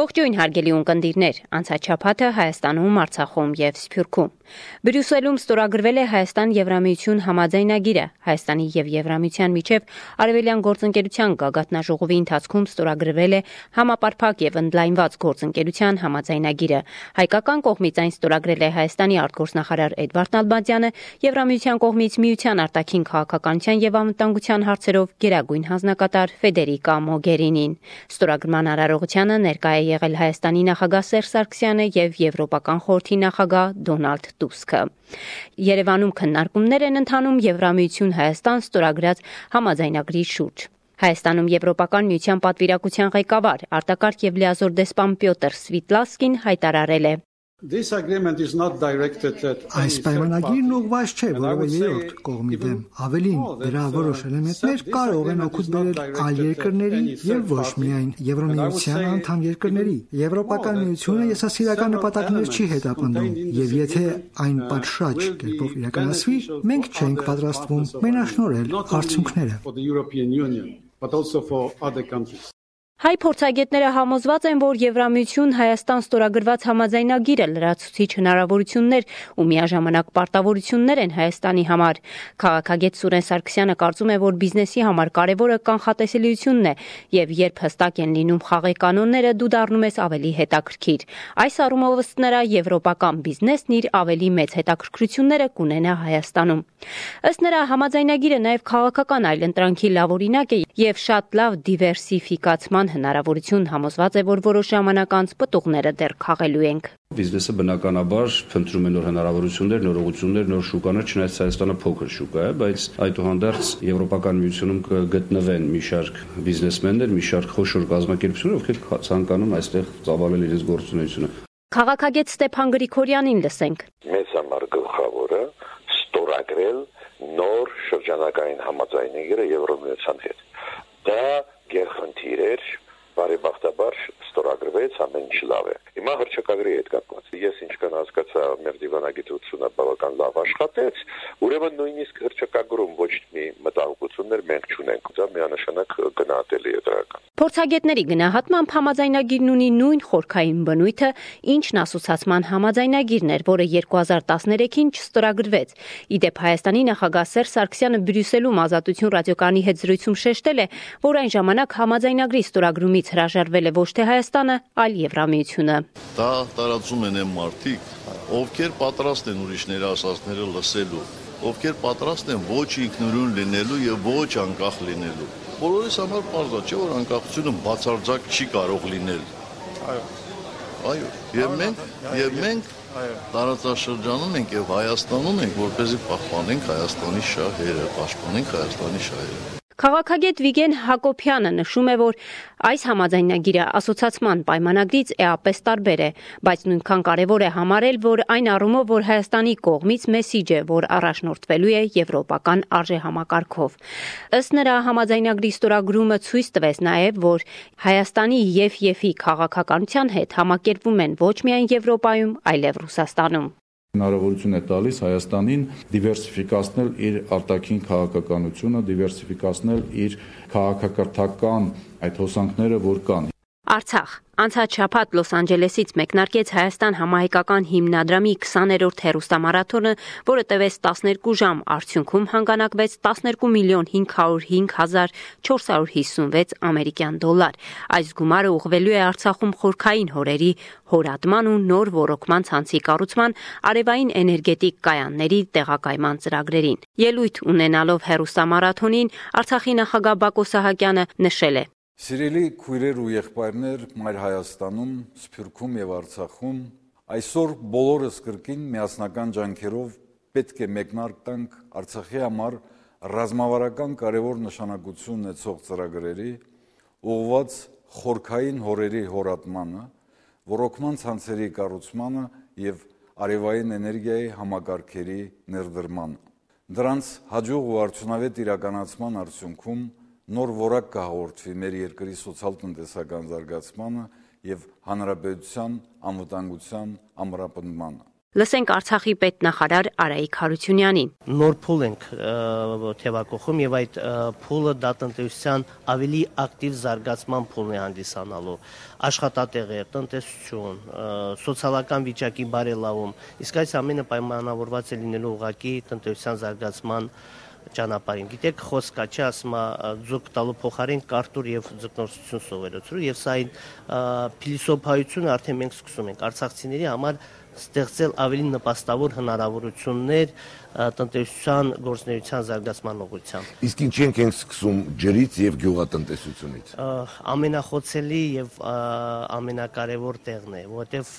Ողջույն հարգելի ունկնդիրներ, անցաչափաթը Հայաստանում, Արցախում եւ Սփյուռքում։ Բրյուսելում ստորագրվել է Հայաստան-Եվրամիություն համաձայնագիրը։ Հայաստանի եւ Եվրամիության միջև արևելյան գործընկերության գագաթնաժողովի ընթացքում ստորագրվել է համապարփակ եւ ընդլայնված գործընկերության համաձայնագիրը։ Հայկական կողմից այն ստորագրել է Հայաստանի արտգործնախարար Էդվարդ Նալբանդյանը, Եվրամիության կողմից Միության արտաքին քաղաքականության եւ անվտանգության հարցերով գերագույն հանձնակատար Ֆեդերիկա Մոգերինին։ Ստորագրման արարողությանը ներկայ է եղել Հայաստանի նախագահ Սերժ Սարգսյանը եւ Եվրոպական խորհրդի նախագահ Դոնալդ Տուսկը։ Երևանում քննարկումներ են ընթանում Եվրամիություն-Հայաստան ստորագրած համաձայնագրի շուրջ։ Հայաստանում Եվրոպական միության պատվիրակության ղեկավար, արտակարգ եւ լիազոր դեսպան Պյոտր Սվիտլասկին հայտարարել է. Այս պայմանագիրն ուղղված չէ որևէ երրորդ կողմի դեմ, ավելին, դրա որոշ էլեմենտներ կարող են օգուտ բերել այլ երկրների եւ ոչ միայն Եվրամիության անդամ երկրների։ Եվրոպական միությունը եսասիրական նպատակներ չի հետապնդում, եւ եթե այն պատշաճ կերպով իրականացվի, մենք չենք պատրաստվում մենաշնորհել արդյունքները։ Հայ փորձագետները համոզված են, որ Եվրամիություն-Հայաստան ստորագրված համաձայնագիրը լրացուցիչ հնարավորություններ ու միաժամանակ պարտավորություններ են Հայաստանի համար։ Քաղաքագետ Սուրեն Սարգսյանը կարծում է, որ բիզնեսի համար կարևորը կանխատեսելիությունն է, եւ երբ հստակ են լինում խաղի կանոնները, դու դառնում ես ավելի հետաքրքիր։ Այս առումով ըստ նրա եվրոպական բիզնեսն իր ավելի մեծ հետաքրքրությունները կունենա Հայաստանում։ Ըստ նրա համաձայնագիրը նաեւ քաղաքական այլընտրանքի լավ օրինակ է եւ շատ լավ դիվերսիֆիկացման հնարավորություն համոզված է, որ որոշ ժամանակ անց պտուղները դեռ քաղելու ենք։ Բիզնեսը բնականաբար փնտրում է նոր հնարավորություններ, նոր ուղղություններ, նոր շուկաներ, չնայած Հայաստանը փոքր շուկա է, բայց այդուհանդերձ Եվրոպական միությունում կգտնվեն մի շարք բիզնեսմեններ, մի շարք խոշոր կազմակերպություններ, ովքեր ցանկանում այստեղ ծավալել իրենց գործունեությունը։ Քաղաքագետ Ստեփան Գրիգորյանին լսենք։ Մեծ համար գլխավորը ստորագրել նոր շրջանակային համաձայնագիրը Եվրամիության հետ։ Դա գերխնդիր էր, բարեբախտաբար ստորագրվեց, ամեն ինչ լավ է։ Հիմա հռչակագրի հետ կապված։ Ես ինչքան հասկացա, մեր դիվանագիտությունը բավական լավ աշխատեց, ուրեմն նույնիսկ հռչակագրում ոչ մի մտահոգություններ մենք չունենք։ Դա միանշանակ գնահատելի է դրական։ Փորձագետների գնահատմամբ համաձայնագիրն ունի նույն խորքային բնույթը, ինչն ասոցացման համաձայնագիրն էր, որը 2013-ին չստորագրվեց։ Իդեպ Հայաստանի նախագահ Սերժ Սարգսյանը Բրյուսելում Ազատություն ռադիոկայանի հետ զրույցում շեշտել է, որ այն ժամանակ համաձայնագրի ստորագրումից հրաժարվել է ոչ թե Հայաստանը, այլ Եվրամիությունը։ Դա տարածում են այն մարդիկ, ովքեր պատրաստ են ուրիշների ասածները լսելու, ովքեր պատրաստ են ոչ ինքնուրույն լինելու եւ ոչ անկախ լինելու։ Բոլորիս համար պարզ է, չէ՞ որ անկախությունը բացարձակ չի կարող լինել։ Այո։ Եվ մենք տարածաշրջանում ենք եւ Հայաստանում ենք, որպեսզի պահպանենք Հայաստանի շահերը, պաշտպանենք Հայաստանի շահերը։ Քաղաքագետ Վիգեն Հակոբյանը նշում է, որ այս համաձայնագիրը ասոցացման պայմանագրից էապես տարբեր է, բայց նույնքան կարևոր է համարել, որ այն առումով, որ Հայաստանի կողմից մեսիջ է, որ առաջնորդվելու է եվրոպական արժեհամակարգով։ Ըստ նրա համաձայնագրի ստորագրումը ցույց տվեց նաև, որ Հայաստանի ԵՖ-ի քաղաքականության հետ համակերպվում են ոչ միայն Եվրոպայում, այլև Ռուսաստանում։ Հնարավորություն է տալիս Հայաստանին դիվերսիֆիկացնել իր արտաքին քաղաքականությունը, դիվերսիֆիկացնել իր քաղաքակրթական այդ հոսանքները, որ կան։ Արցախ անցած շաբաթ Լոս Անջելեսից մեկնարկեց Հայաստան համահայկական հիմնադրամի 20-րդ հեռուստամարաթոնը, որը տևեց 12 ժամ, արդյունքում հանգանակվեց 12,505,456 ամերիկյան դոլար։ Այս գումարը ուղղվելու է Արցախում խորքային հորերի հորատման ու նոր ոռոգման ցանցի կառուցման, արևային էներգետիկ կայանների տեղակայման ծրագրերին։ Ելույթ ունենալով հեռուստամարաթոնին Արցախի նախագահ Բակո Սահակյանը նշել է. Սիրելի քույրեր ու եղբայրներ Մայր Հայաստանում, Սփյուռքում եւ Արցախում, այսօր բոլորս կրկին միասնական ջանքերով պետք է մեկնարկ տանք Արցախի համար ռազմավարական կարևոր նշանակություն ունեցող ծրագրերի, ուղղված խորքային հորերի հորատմանը, ոռոգման ցանցերի կառուցմանը եւ արևային էներգիայի համակարգերի ներդրմանը։ Դրանց հաջող ու արդյունավետ իրականացման արդյունքում նոր որակ կհաղորդվի մեր երկրի սոցիալ-տնտեսական զարգացմանը եւ հանրապետության անվտանգության ամրապնդմանը։ Լսենք Արցախի պետնախարար Արայիկ Հարությունյանին։ Նոր փուլ ենք թևակողում եւ այդ փուլը դատնտեսության ավելի ակտիվ զարգացման փուլն է հանդիսանալու։ Աշխատատեղեր, տնտեսություն, սոցիալական վիճակի բարելավում։ Իսկ այս ամենը պայմանավորված է լինելու ուղղակի տնտեսության զարգացման ճանապարհին։ Գիտեք, խոսքա չի ասում ձուկ տալու փոխարեն կարտուր եւ ձկնորսություն սովորեցրու եւ սա այն փիլիսոփայությունը արդեն մենք սկսում ենք արցախցիների համար ստեղծել ավելի նպաստավոր հնարավորություններ տնտեսության գործունեության զարգացման ուղղությամբ։ Իսկ ինչի ենք սկսում ջրից եւ գյուղատնտեսությունից։ Ամենախոցելի եւ ամենակարևոր տեղն է, որովհետեւ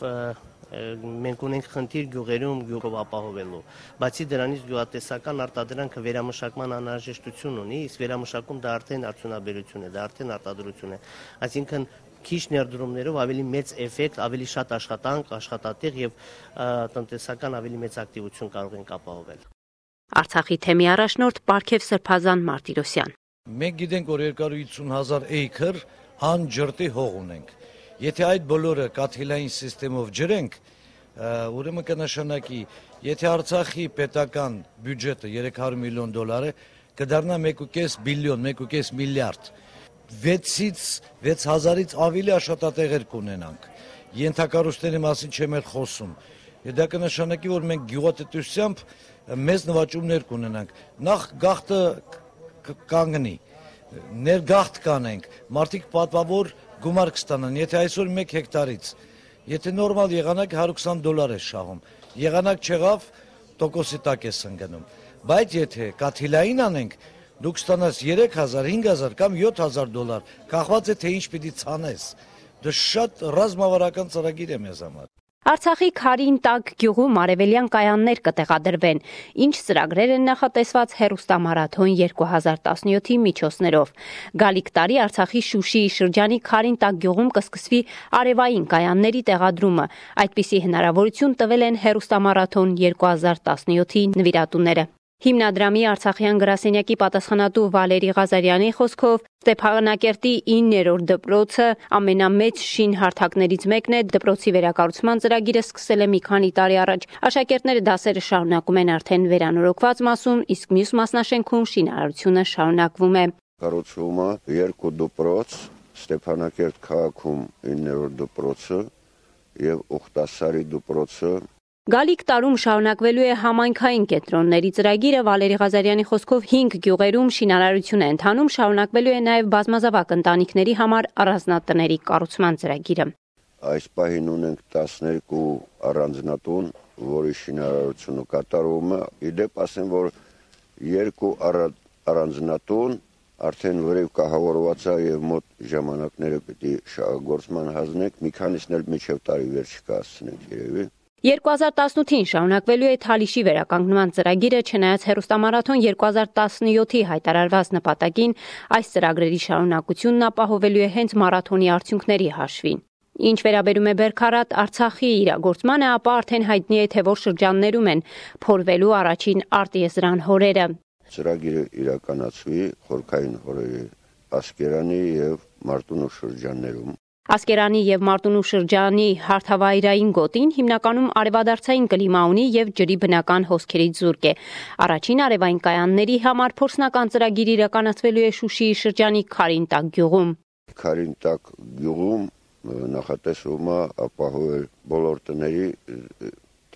մենք ունենք խնդիր գյուղերում գյուղով ապահովելու։ Բացի դրանից գյուղատնտեսական արտադրանքը վերամշակման անհրաժեշտություն ունի, իսկ վերամշակում դա արդեն արդյունաբերություն է, դա արդեն արտադրություն է։ Այսինքն քիչ ներդրումներով ավելի մեծ էֆեկտ, ավելի շատ աշխատանք, աշխատատեղ եւ տնտեսական ավելի մեծ ակտիվություն կարող ենք ապահովել։ Արցախի թեմի առաջնորդ Պարքև Սրբազան Մարտիրոսյան։ Մենք գիտենք, որ 250,000 էյքր հանջրտի հող ունենք։ Եթե այդ բոլորը կաթիլային սիստեմով ջրենք, ուրեմն կնշանակի, եթե Արցախի պետական բյուջետը $300 միլիոն է, կդառնա 1.5 բիլիոն, 1.5 միլիարդ։ 6-ից 6,000-ից ավելի աշխատատեղեր կունենանք։ Ենթակառույցների մասին չեմ էլ խոսում։ Դա կնշանակի, որ մենք գյուղատնտեսությամբ մեծ նվաճումներ կունենանք։ Նախ գաղթը կանգնի, ներգաղթ կանենք, մարդիկ պատվավոր գումար կստանան, եթե այսօր 1 հեկտարից, եթե նորմալ եղանակ $120 է շահում, եղանակ չեղավ, տոկոսի տակ է ընկնում, բայց եթե կաթիլային անենք, դուք ստանաս 3,000, 5,000 կամ $7,000, կախված է թե ինչ պիտի ցանես, դա շատ ռազմավարական ծրագիր է մեզ համար։ Արցախի Քարին տակ գյուղում արևելյան կայաններ կտեղադրվեն, ինչ ծրագրեր են նախատեսված հեռուստամարաթոն 2017-ի միջոցներով։ Գալիք տարի Արցախի Շուշիի շրջանի Քարին տակ գյուղում կսկսվի արևային կայանների տեղադրումը։ Այդպիսի հնարավորություն տվել են հեռուստամարաթոն 2017-ի նվիրատուները։ Հիմնադրամի Արցախյան գրասենյակի պատասխանատու Վալերի Ղազարյանի խոսքով Ստեփանակերտի 9-րդ դպրոցը ամենամեծ շինհարթակներից մեկն է, դպրոցի վերակառուցման ծրագիրը սկսել է մի քանի տարի առաջ։ Աշակերտները դասերը շարունակում են արդեն վերանորոգված մասում, իսկ մյուս մասնաշենքում շինարարությունը շարունակվում է։ Կառուցվում է 2 դպրոց, Ստեփանակերտ քաղաքում 9-րդ դպրոցը եւ Ուխտասարի դպրոցը։ Գալիք տարում շարունակվելու է համայնքային կենտրոնների ծրագիրը, Վալերի Ղազարյանի խոսքով 5 գյուղերում շինարարություն է ընթանում, շարունակվելու է նաև բազմազավակ ընտանիքների համար առանձնատների կառուցման ծրագիրը։ Այս պահին ունենք 12 առանձնատուն, որի շինարարությունը կատարվում է։ Իդեպ ասեմ, որ 2 առանձնատուն արդեն վրև կահավորված է եւ մոտ ժամանակները պիտի շահագործման հանձնենք, մի քանիսն էլ մինչեւ տարի վերջը կհասցնենք երևի։ 2018-ին շարունակվելու է Թալիշի վերականգնման ծրագիրը, չնայած հեռուստամարաթոն 2017-ի հայտարարված նպատակին, այս ծրագրերի շարունակությունն ապահովելու է հենց մարաթոնի արդյունքների հաշվին։ Ինչ վերաբերում է Բերքարատ Արցախի իրագործմանը, ապա արդեն հայտնի է, թե որ շրջաններում են փորվելու առաջին արտիեզրան հորերը։ Ծրագիրը իրականացվի խորքային հորերի Ասկերանի եւ Մարտունու շրջաններում։ Ասկերանի եւ Մարտունու շրջանի հարթավայրային գոտին հիմնականում արևադարձային կլիմա ունի եւ ջրի բնական հոսքերից զուրկ է։ Առաջին արևային կայանների համար փորձնական ծրագիր իրականացվելու է Շուշիի շրջանի Քարին տակ գյուղում։ Քարին տակ գյուղում նախատեսվում է ապահովել բոլոր տների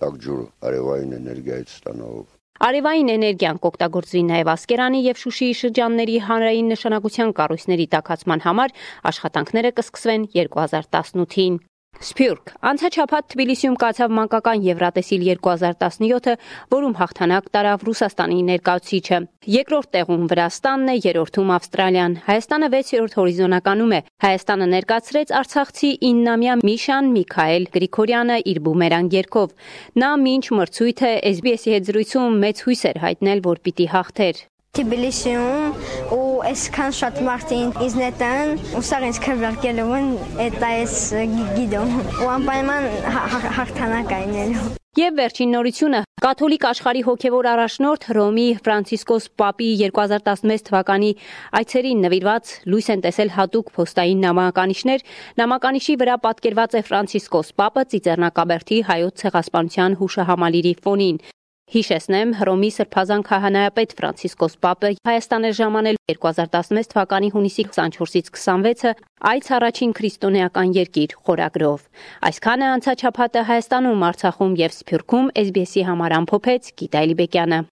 տակ ջուրը արևային էներգիայից ստանալով։ Արևային էներգիան կօգտագործվի նաև Ասկերանի եւ Շուշիի շրջանների հանրային նշանակության կառույցների տաքացման համար, աշխատանքները կսկսվեն 2018-ին։ Սփյուռք անցաչափած Թբիլիսիում կացավ մանկական Եվրատեսիլ 2017-ը, որում հաղթանակ տարավ Ռուսաստանի ներկայացուցիչը։ Երկրորդ տեղում Վրաստանն է, երրորդում Ավստրալիան։ Հայաստանը 6-րդ հորիզոնականում է։ Հայաստանը ներկայացրեց արցախցի 9-ամյա Միշան Միքայել Գրիգորյանը իր բումերանգ երգով։ Նա մինչ մրցույթը SBS-ի հետ զրույցում մեծ հույս էր հայտնել, որ պիտի հաղթեր։ Թբիլիսիում ու այսքան շատ մարդին ինձ նետան ու սա ինձ քրվարկելու են դա էս գիդում ու անպայման հաղթանակ այնելու Եվ վերջին նորությունը կաթոլիկ աշխարհի հոգևոր առաջնորդ Հռոմի Ֆրանցիսկոս Պապի 2016 թվականի այցերին նվիրված լույս են տեսել հատուկ փոստային նամականիշներ, նամականիշի վրա պատկերված է Ֆրանցիսկոս Պապը Ծիծեռնակաբերդի հայոց ցեղասպանության հուշահամալիրի ֆոնին։ Հիշեցնեմ, Հռոմի Սրբազան քահանայապետ Ֆրանցիսկոս Պապը Հայաստան էր ժամանել 2016 թվականի հունիսի 24-ից 26-ը այց առաջին քրիստոնեական երկիր խորագրով։ Այսքանը անցաչափատը Հայաստանում, Արցախում եւ Սփյուռքում SBS-ի համար ամփոփեց Գիտա Էլիբեկյանը։